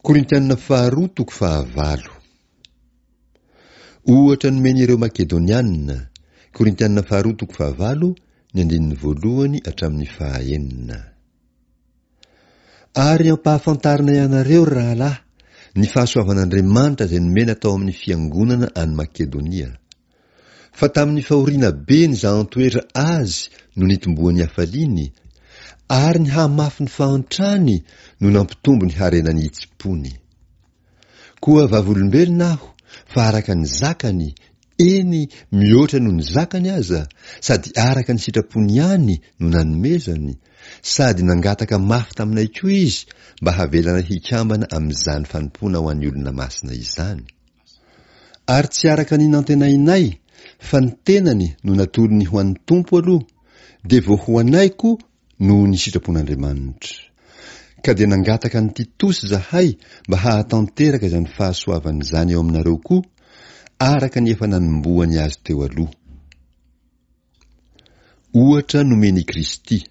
Korintiana faharoa toko fahavalo. Ohatra nomen'ireo Makedoniana, Korintiana faharoa toko fahavalo, ny andininy voalohany hatramin'ny fahaenina. Ary ampahafantarinay anareo, ry rahalahy, ny fahasoavan'Andriamanitra izay nomena tao amin'ny fiangonana any Makedonia. Fa tamin'ny fahoriana be nizahan-toetra azy no nitomboan'ny hafaliany, ary ny hamafin'ny fahantrany no nampitombo ny harenan'ny hitsim-pony. Koa vavolombelona aho fa araka ny zakany, eny, mihoatra noho ny zakany aza, sady araka ny sitrapony ihany no nanomezany, sady nangataka mafy taminay koa izy mba havelanay hikambana amin'izany fanompoana ho an'ny olona masina izany. Ary tsy araka ny nantenainay, fa ny tenany no natolony ho an'ny Tompo aloha, dia vao ho anay koa noho ny sitrapon'Andriamanitra. Ka dia nangataka an'i Titosy izahay mba hahatanteraka izany fahasoavana izany eo aminareo koa, araka ny efa nanombohany azy teo aloha. Ohatra nomen'i Kristy.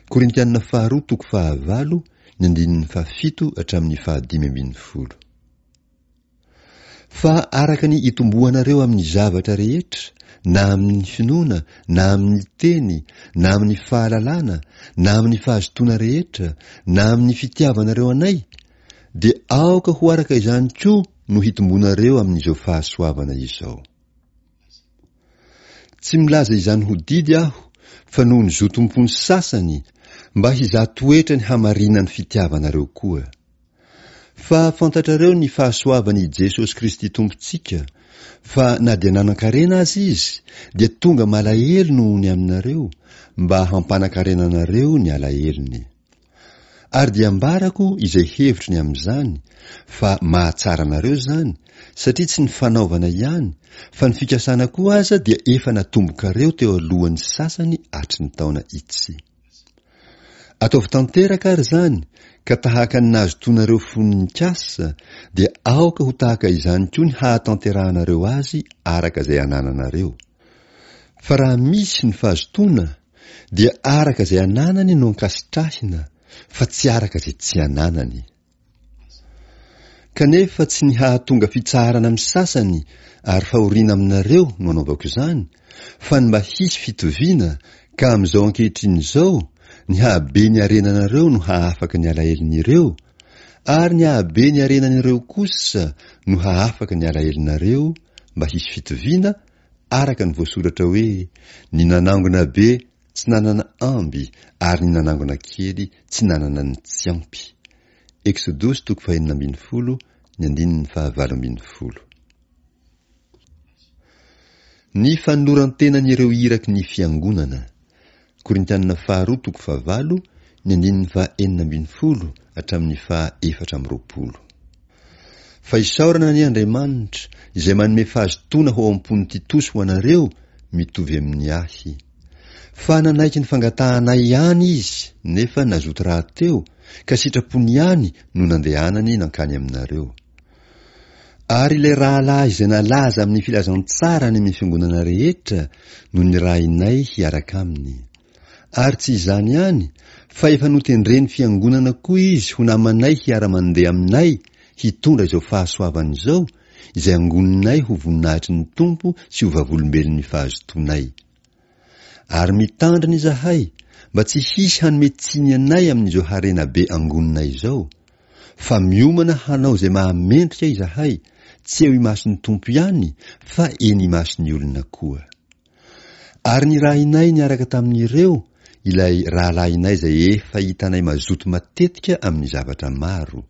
Korintiana faharoa toko fahavalo, ny andininy fahafito hatramin'ny fahadimy ambin'ny folo. Fa araka ny itomboanareo amin'ny zavatra rehetra, na amin'ny finoana, na amin'ny teny, na amin'ny fahalalana, na amin'ny fahazotoana rehetra, na amin'ny fitiavanareo anay, dia aoka ho araka izany koa no hitombonareo amin'izao fahasoavana izao. Tsy milaza izany ho didy aho, fa noho ny zotom-pon'ny sasany, mba hizaha toetra ny hamarinan'ny fitiavanareo koa. Fa fantatrareo ny fahasoavan' i Jesosy Kristy Tompontsika, fa na dia nanan-karena aza Izy, dia tonga malahelo noho ny aminareo, mba hampanan-karena anareo ny alahelony. Ary dia ambarako izay hevitro ny amin'izany, fa mahatsara anareo izany, satria tsy ny fanaovana ihany, fa ny fikasana koa aza dia efa natombokareo teo alohan'ny sasany hatry ny taona itsy. Ataovy tanteraka ary izany, ka tahaka ny nahazotoanareo fony nikasa, dia aoka ho tahaka izany koa ny hahatanterahanareo azy araka izay anananareo. Fa raha misy ny fahazotoana, dia araka izay ananany no ankasitrahina, fa tsy araka izay tsy ananany. Kanefa tsy ny hahatonga fitsaharana amin'ny sasany ary fahoriana aminareo no anaovako izany, fa ny mba hisy fitoviana, ka amin'izao ankehitriny izao, ny hahabe ny harenanareo no hahafaka ny alahelon'ireo, ary ny hahabe ny harenan'ireo kosa no hahafaka ny alahelonareo, mba hisy fitoviana, araka ny voasoratra hoe, Ny nanangona be tsy nanana amby ary ny nanangona kely tsy nanana ny tsy ampy. Eksodosy toko fahenina ambin'ny folo, ny andininy fahavalo ambin'ny folo. Ny fanoloran-tenan'ireo iraky ny Fiangonana. Korintianina faharoa toko fahavalo, ny andininy faha 16 hatramin'ny faha 24. Fa isaorana anie Andriamanitra, izay manome fahazotoana ho ao am-pon'i Titosy ho anareo, mitovy amin'ny ahy. Fa nanaiky ny fangatahanay ihany izy, nefa nazoto rahateo, ka sitrapony ihany no nandehanany nankany aminareo. Ary ilay rahalahy izay nalaza amin'ny filazantsara any amin'ny fiangonana rehetra no nirahinay hiaraka aminy. Ary tsy izany ihany, fa efa notendren'ny fiangonana koa izy ho namanay hiara-mandeha aminay hitondra izao fahasoavana izao, izay angoninay ho voninahitry ny Tompo sy ho vavolombelon'ny fahazotoanay. Ary mitandrina izahay mba tsy hisy hanome tsiny anay amin'izao harena be angoninay izao, fa miomana hanao izay mahamendrika izahay, tsy eo imason'ny Tompo ihany, fa eny imason'ny olona koa. Ary nirahinay niaraka tamin'ireo ilay rahalahinay izay efa hitanay mazoto matetika amin'ny zavatra maro.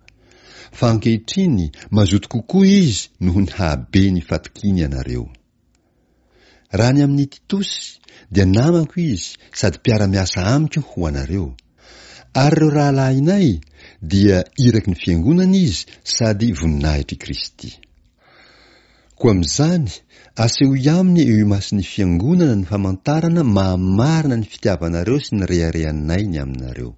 Fa ankehitriny mazoto kokoa izy noho ny hahabe ny fatokiany anareo. Raha ny amin'i Titosy, dia namako izy sady mpiara-miasa amiko ho anareo. Ary ireo rahalahinay, dia iraky ny fiangonana izy sady voninahitr'i Kristy. Koa amin'izany, asehoy aminy eo imason'ny fiangonana ny famantarana mahamarina ny fitiavanareo sy ny reharehanay ny aminareo.